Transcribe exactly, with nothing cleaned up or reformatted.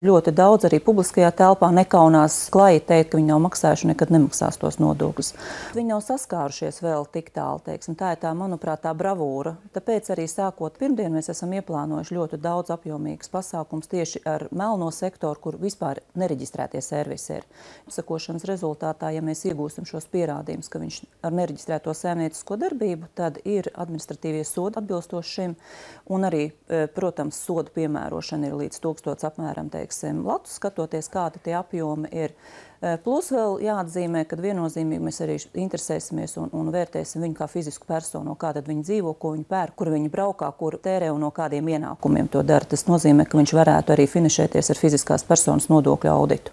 Ļoti daudz arī publiskajā telpā nekaunās klāji teikt, ka viņi nav maksājuši un nekad nemaksās tos nodokļus. Viņi nav saskārušies vēl tik tālu, teiksim. Tā ir tā, manuprāt, tā bravūra. Tāpēc arī sākot pirmdien mēs esam ieplānojuši ļoti daudz apjomīgas pasākums tieši ar melno sektoru, kur vispār nereģistrētie servisi ir. Sakošanas rezultātā, ja mēs iegūstam šos pierādījumus, ka viņš ar nereģistrēto saimniecisko darbību, tad ir administratīvie sodi atbilstoši šim, un arī, protams, sodu piemērošana ir līdz tūkstots apmēram, teiksim, Latu skatoties, kādi tie apjomi ir. Plus vēl jāatzīmē, ka viennozīmīgi mēs arī interesēsimies un, un vērtēsim viņu kā fizisku personu, kā tad viņi dzīvo, ko viņi pērk, kur viņi braukā, kur tērē un no kādiem ienākumiem to dara. Tas nozīmē, ka viņš varētu arī finišēties ar fiziskās personas nodokļu auditu.